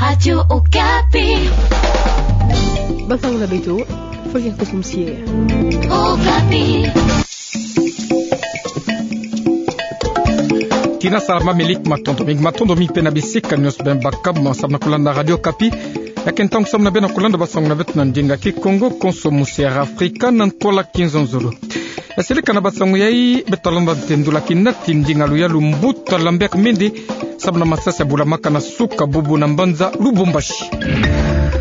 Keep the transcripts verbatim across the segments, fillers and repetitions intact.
Radio Okapi. Basango na beto, Fabien Kosom Sier. Okapi. Tina salama milik, matondo mingi, matondo mingi pe na bisika nyonso bem bakama samu na kulanda Radio Okapi. Ya ke ntangu samu na bem na kulanda basango na beto na ndinga Kikongo, konso musi ya Afrika, na ntwala kinzonzolo. Ya seleka na basango yai, beto landa ntendula kinati ndinga luyalu mbuta Lambert Mende, samu na masasi ya bulamaka na suka bubu na mbanza Lubumbashi.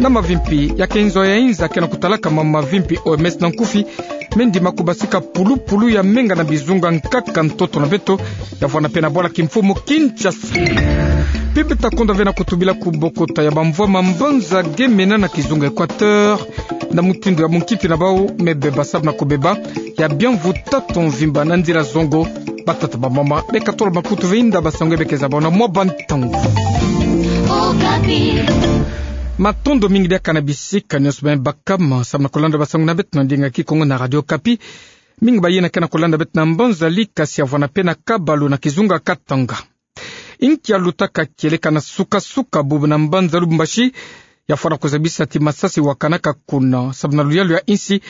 Na mavimpi, ya ke nzo ya inza ke na kutalaka ma mavimpi O M S na nkufi, mendima kubasika pulupulu ya menga na bizunga nkaka ntoto na beto, ya vwanda pe na bwala kimfumu Kinshasa. Pe beto ta konda ve na kutubila kubokota ya bamvwama mbanza Gemena na kizunga Equateur, na mutindu ya munkiti na bau me beba samu na kubeba ya biamvu tatu mvimba na nzila zongo. Batata bamama, beka tolo makutu ve inda basango ya beke zabona mwa bantangu. Okapi. Matondo mingi diaka na bisika nyonso bem bakama samu na kulanda basango na beto na ndinga Kikongo na Radio Okapi. Mingi bayina ke na kulanda beto na mbanza Likasi ya vwanda pe na Kabalu na kizunga Katanga. Inki ya lutaka kieleka na suka-suka bubu na mbanza Lubumbashi, ya fwana kuzabisa ti masasi wakanaka kuna, samu na luyalu ya insi,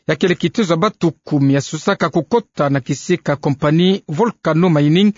ya kele kitezo ya batu kumi ya susaka kukota na kisika compagnie Volcano Mining,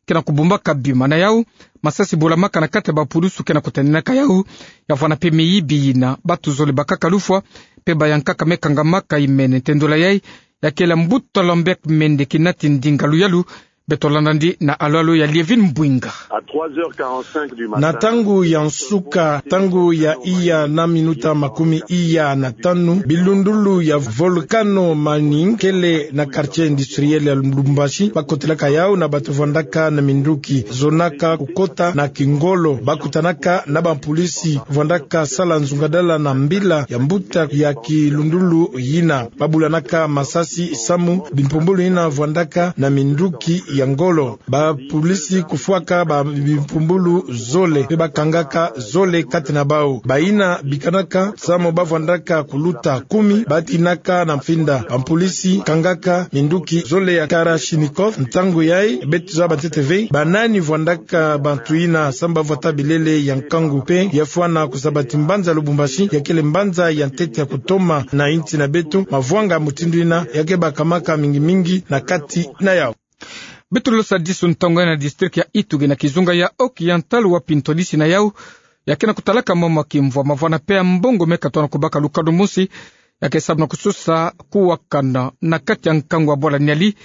ke na kubumbaka bima na yau, masasi bulamaka na kati ya bapulusu ke na kutaninaka yau, ya vwanda pe miyibi yina, batu zole bakaka lufwa, pe bayankaka me kangamaka imene. Ntendula yai, ya kele mbuta Lambert Mende kinati ndinga luyalu, beto landa ndi na alo-alo ya Lievine Mbwinga. À trois heures quarante-cinq du matin. Na ntangu ya nsuka, ntangu ya iya na minuta makumi iya na tanu, bilundulu ya Volcano Mining kele na quartier industriel ya Lubumbashi, bakotelaka yau na batu vwandaka na minduki, zonaka kukota na kingolo, bakutanaka na bampolisi vwandaka sala nzungadala na mbila ya mbuta ya kilundulu yina. Babulanaka masasi samu bimpumbulu yina vwandaka na minduki ya ngolo. Bapulisi kufwaka ba bimpumbulu zole, pe bakangaka zole kati na bau. Bayina bikanaka samu bavwandaka kuluta kumi, batinaka na mfinda. Bampulisi kangaka minduki zole ya Kalachnikov. Ntangu yai, beto zaba ntete ve banani vwandaka bantu yina, samu bavwata bilele ya nkangu pe ya fwana kuzaba ti mbanza Lubumbashi ya kele mbanza ya ntete ya kutoma na insi na beto. Mavwanga mutindu yina ya ke bakamaka mingi-mingi na kati na yau. Beto losa disu ntangu yai na district ya Ituri na kizunga ya Occidental, wapi ntwadisi na yau ya ke na kutalaka mama kimvwama vwanda pe ya mbongo me katona kubaka lukanu mosi, ya ke samu na kusosa kuwakana na kati ya nkangu ya bwala Niali,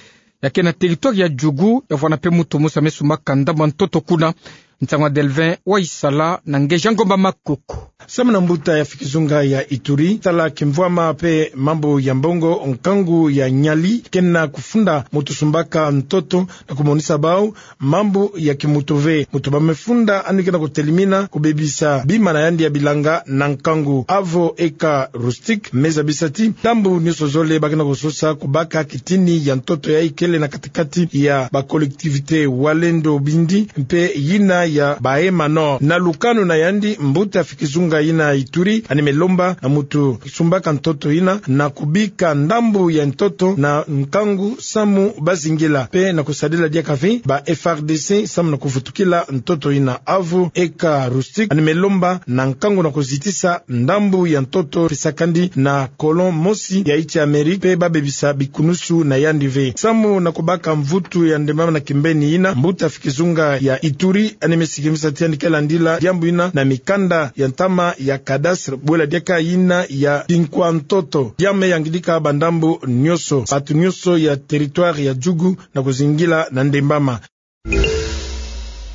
ya ke na territoire ya Djugu, ya vwanda pe mutu mosi ya me sumbaka ndambu ya ntoto kuna. Nsangu ya Delvin Waisala na nge Jean-Ngomba Makoko. Samu na mbuta ya fikizunga ya Ituri, tala kimvwama pe mambu ya mbongo, nkangu ya Niali ke na kufunda mutu sumbaka ntoto na kumonisa bau mambu ya kimutu ve. Mutu ba me funda yandi ke na kutelimina kubebisa bima na yandi ya bilanga na nkangu. Avo Eka Rustic me zabisa ti ndambu nionso zole ba ke na kusosa kubaka kitini ya ntoto yai kele na kati kati ya ba collectivités Walendu Bindi mpe yina ya Bahema Nord. Na lukanu na yandi, mbuta fikizunga yina Ituri yandi me lomba na mutu sumbaka ntoto yina na kubika ndambu ya ntoto na nkangu samu bazingila, mpe na kusadila diaka ve ba F A R D C samu na kuvutukila ntoto yina. Avo Eka Rustic yandi me lomba na nkangu na kuzitisa ndambu ya ntoto pesakandi na colon mosi ya insi ya Amérique, mpe babebisa bikunusu na yandi ve. Samu na kubaka mvutu ya ndembama na kimbeni yina, mbuta fikizunga ya Ituri yandi me sikimisa ti yandi ke landila diambu yina na mikanda ya ntama ya cadastre, bwela diaka yina ya kinkwa ntoto. Ya me yangidika ba ndambu nionso, batu nionso ya territoire ya Djugu na kuzingila na ndembama.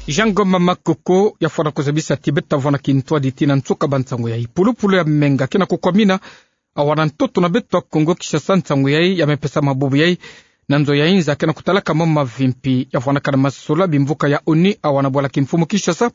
Jean-Ngomba Makoko ya fwana kuzabisa ti beto ta vwanda kintwadi tii na nsuka ba nsangu yai. Pulupulu ya menga ke na kukwamina awa na ntoto na beto ya Kongo Kinshasa. Nsangu yai ya me pesama bubu yai na nzo ya inza ke na kutalaka mama mavimpi ya vwandaka na masola bimvuka ya ONU awa na bwala kimfumu Kinshasa.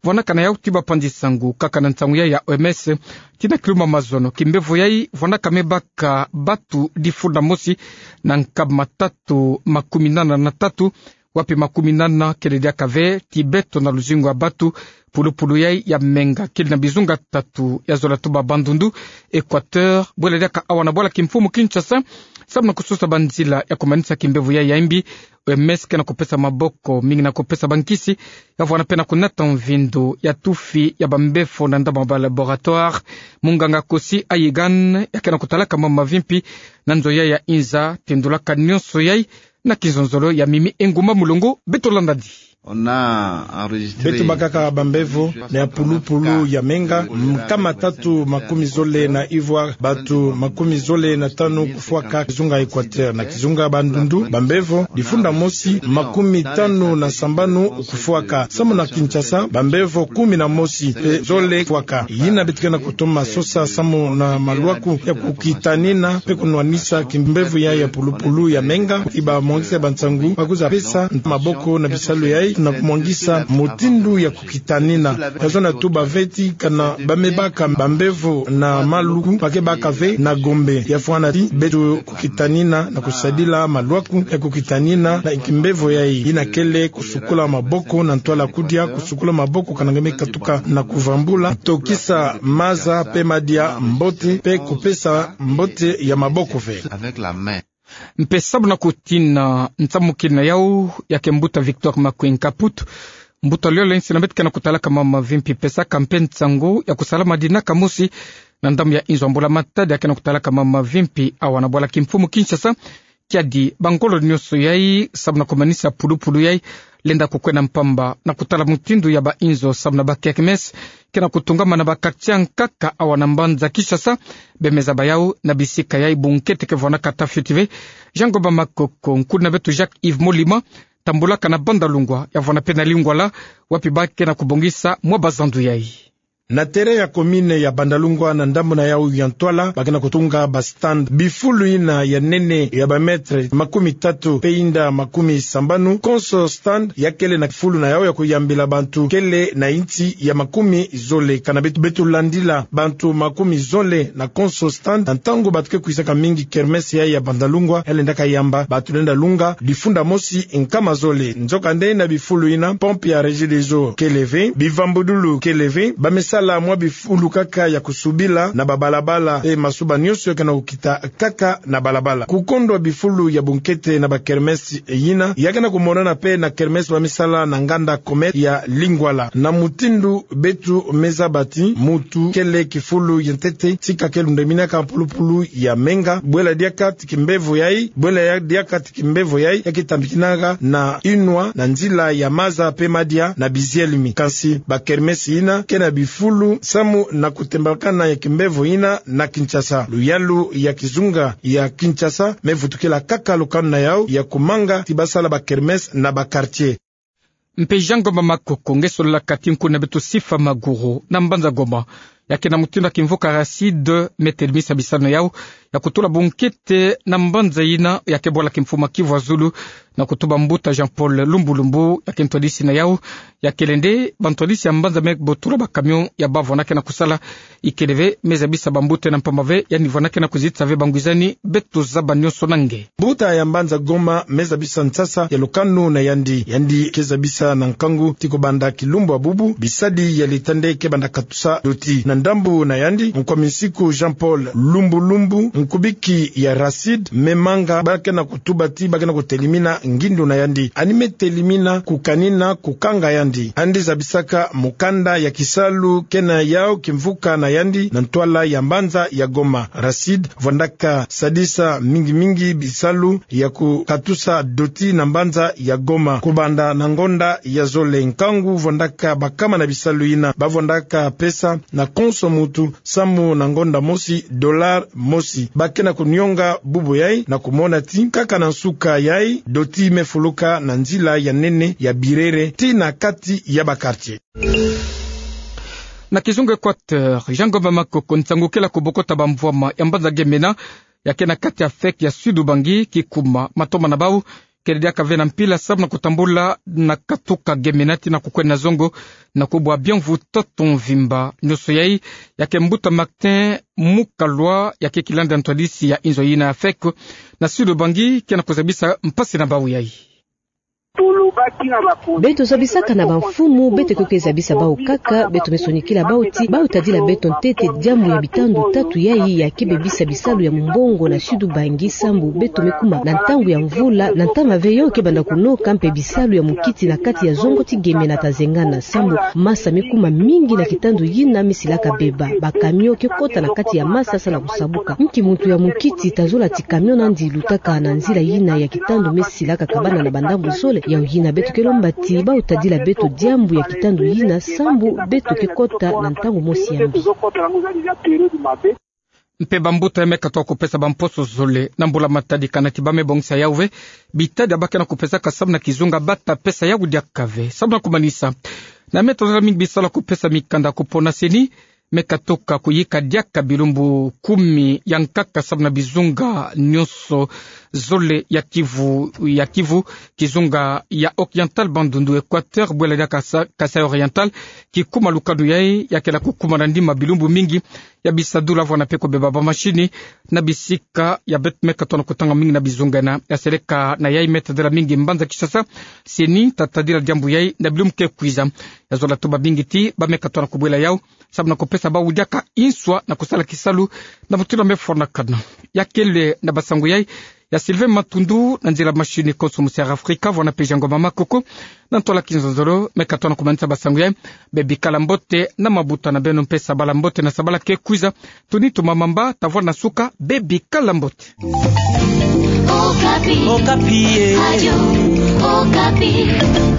Vwandaka na yau ti bapanzi nsangu kaka na nsangu yai ya O M S, tii na kiluma mazono, kimbevo yai vwandaka me baka batu difu na mosi na nkama tatu makumi nana na tatu, wapi makumi nana kele diaka ve ti beto na luzingu ya batu. Pulupulu yai ya menga kele na bizunga tatu, ya zola tuba Bandundu, Equateur, bwela diaka awa na bwala kimfumu Kinshasa, Samu na kusosa banzila ya kumanisa kimbevo yai ya imbi, O M S ke na kupesa maboko mingi na kupesa bankisi ya vwanda pe na kunata mvindu ya tufi ya bambefo na ndambu ya balaboratoire. Munganga Kosi Ayigan ya ke na kutalaka mambu mavimpi na nzo yai ya inza, tendulaka nionso yai na kizonzolo ya Mimi Engumba Mulongo. Beto landadi. Beto bakaka bambevo na ya pulupulu ya menga, nkama tatu makumi zole na ivwa, bantu makumi zole na tanu kufwaka kizunga Equateur, na kizunga Bandundu bambevo difunda mosi makumi tanu na sambanu kufwaka, samu na Kinshasa bambevo kumi na mosi pe zole kufwaka. Yina beto ke na kutoma sosa samu na maluaku ya kukitanina pe kunwanisa kimbevo yai ya pulupulu ya menga, iba mongisa ya bansangu bakuza pesa maboko na bisalu yai na kumongisa mutindu ya kukitanina. Yazo na tuba ve ti kana ba me baka bambevo na maluku ba ke baka ve na Gombe. Ya fwana ti beto kukitanina na kusadila maluaku ya kukitanina na kimbevo yai. Yina kele kusukula maboko na ntwala kudia, kusukula maboko kana nge me katuka na kuvambula, tokisa maza pe madia mbote pe kupesa mbote ya maboko ve. Mpe samu na kutina nsamukina yau, ya ke mbuta Victor Makwin Kaput, mbuta Liolensi, na beto ke na kutalaka mambu mavimpi, pesaka mpe nsangu ya kusala madinaka mosi na ndambu ya inzo ya mbula-matadi, ya ke na kutalaka mambu mavimpi awa na bwala kimfumu Kinshasa. Kiadi bangolo nionso yai samu na kumanisa pulupulu yai lenda kukwenda mpamba na kutala mutindu ya bainzo samu na bakermesse ke na kutungama na bakartie ya nkaka awa na mbanza Kinshasa. Bemeza bayau na bisika yai bunkete ke vwanaka ata fioti ve. Jean Ngomba Makoko, nkuna beto Jacques Yves Molima tambulaka na Bandalungwa ya vwanda pe na Lingwala, wapi ba ke na kubongisa mwa bazandu yai. Na terrain ya commune ya Bandalungwa, na ndambu na yau ya ntwala, ba ke na kutunga bastand bifulu yina ya nene ya bamètre makumi tatu pe inda makumi sambanu. Konso stand ya kele na kifulu na yau ya kuyambila bantu kele na inchi ya makumi zole. Kana beto, beto landila bantu makumi zole na konso stand. Na ntangu bato ke kwisaka mingi, kermesse yai ya Bandalungwa ya lendaka yamba, bato lenda lunga difunda mosi nkama zole. Nzokande na bifulu yina, pompe ya Regideso kele ve, bivambudulu kele ve, ba me sala mwa bifulu kaka ya kusubila na babalabala, e masuba nionso ya ke na kukita kaka na balabala. Kukondwa bifulu ya bunkete na bakermesse yina ya ke na kumonana pe na kermesse ba me sala na nganda Comète ya Lingwala. Na mutindu beto me zaba ti mutu kele kifulu ya ntete, tika ke lundeminaka pulupulu ya menga, bwela diaka ti kimbevo yai, bwela ya diaka ti kimbevo yai ya ke tambikinaka na inwa na nzila ya maza pe madia na bizielemi. Kansi bakermesse yina ke na bifulu samu na kutembakana ya kimbevo yina na Kinshasa. Luyalu ya kizunga ya Kinshasa me vutukila kaka lukanu na yau ya kumanga ti ba sala bakermesse na bakartie. Mpe Jean Ngomba Makoko, nge sololaka ti nkuna beto Sifa Maguru na mbanza Goma, ya ke na mutindu ya kimvuka Racide me telimisa bisalu na yau ya kutula bunkete na mbanza yina ya ke bwala kimfumu Kivu ya Zulu, na kutuba mbuta Jean-Paul Lumbu Lumbu, ya ke ntwadisi na yau. Ya kele nde bantwadisi ya mbanza me botula bacamion ya bavwandaka na kusala. Ikele ve me zabisa bambuta yina mpamba ve, yandi vwandaka na kuzitisa ve bangwizani. Beto zaba nionso na nge. Mbuta ya mbanza Goma me zabisa nsasa ya lukanu na yandi. Yandi ke zabisa na nkangu ti kubanda kilumbu ya bubu, bisadi ya l'État nde ke banda katusa doti. Na ndambu na yandi, nkwa minsiku Jean-Paul Lumbu Lumbu, nkubiki ya Racide, me manga ba ke na kutuba ti ba ke na kutelimina ngindu na yandi. Yandi me telimina kukanina kukanga yandi. Yandi zabisaka mukanda ya kisalu ke na yau kimvuka na yandi na ntwala ya mbanza ya Goma. Racide vwandaka sadisa mingi mingi bisalu ya kukatusa doti na mbanza ya Goma. Kubanda na ngonda ya zole, nkangu vwandaka bakama na bisalu yina. Ba vwandaka pesa na konso mutu, samu na ngonda mosi, dollar mosi. Ba ke na kunionga bubu yai na kumona ti kaka na nsuka yai, doti me fuluka na nzila ya nene ya Birere tii na kati ya bakartie. Na kizunga Équateur, Jean Ngomba Makoko, nsangu kele ya kubokota bamvwama ya mbanza Gemena, ya ke na kati ya fek ya Sud-Ubangi, kikuma matoma na bau kele diaka ve na mpila samu na kutambula na katuka Gemena tii na kukwenda na zongo, na kubwa bienvu toto mvimba. Nionso yai, ya ke mbuta Martin Mukalwa, ya ke kilandi ya ntwadisi ya inzo yina ya fek na Sud-Ubangi, ke na kuzabisa mpasi na bau yai. Beto zabisaka na bamfumu, beto ke zabisa bau kaka, beto me sonikila bau ti bau tadila beto ntete diambu ya bitandu tatu yayi ya ke bebisa bisalu ya mumbongo na Sud-Ubangi, sambu beto me kuma na ntangu ya mvula, na ntama veyo ke banda kunoka mpe bisalu ya mukiti na kati ya zongo ti Geme na Tazengana, sambu masa me kuma mingi na kitandu yina me silaka beba. Ba camion ke kota na kati ya masa sa na kusabuka. Nki muntu ya mukiti ta zola ti camion nandi lutaka na nzila yina ya kitandu me silaka kabana na bandambu zole? Yawu yina beto ke lomba ti bau tadila beto diambu ya kitandu yina, sambu beto ke kota na ntangu mosi ya mbi. Mpe bambuta ya me katoka kupesa bamposo zole na mbula matadi, kana ti ba me bongisa yawu ve bitadi ya ba ke na kupesaka samu na kizunga, ba ta pesa yawu diaka ve samu na kumanisa. Na me tozala mingi bisalu ya kupesa mikanda kupona CENI, me katoka kuyika diaka bilumbu kumi ya nkaka samu na bizunga nyonso zole ya Kivu, ya Kivu, kizunga ya Oriental, Bandundu, Equateur, bwela diaka Sa-, Kasaï Oriental, kikuma lukanu yayi ya ke na kukumana ndima bilumbu mingi ya bisadula vwanda mpe kubeba bamashini na bisika ya beto me katoka na kutanga mingi na bizunga yina. Ya seleka na yayi me tadila mingi mbanza Kinshasa, CENI ta tadila diambu yayi na bilumbu ke kwiza. Ya zola tuba mingi ti ba me katoka na kubwela yawu samu na kupesa bawu diaka inswa na kusala kisalu na mutindu ya me fwanakana. Ya kele na basangu yayi ya Sylvain Matundu, na nzila mashini konso Musi Air Africa, vwanda mpe Jean Ngoma Makoko, na ntwala Kinzonzolo me katoka na kumanisa basangu yayi. Bebikala mbote na mabuta na beno mpe sabala mbote na sabala ke kwiza. Tuni tumamamba, ta vwanda na suka, bebikala mbote. Okapi. Okapi, eh. Radio Okapi.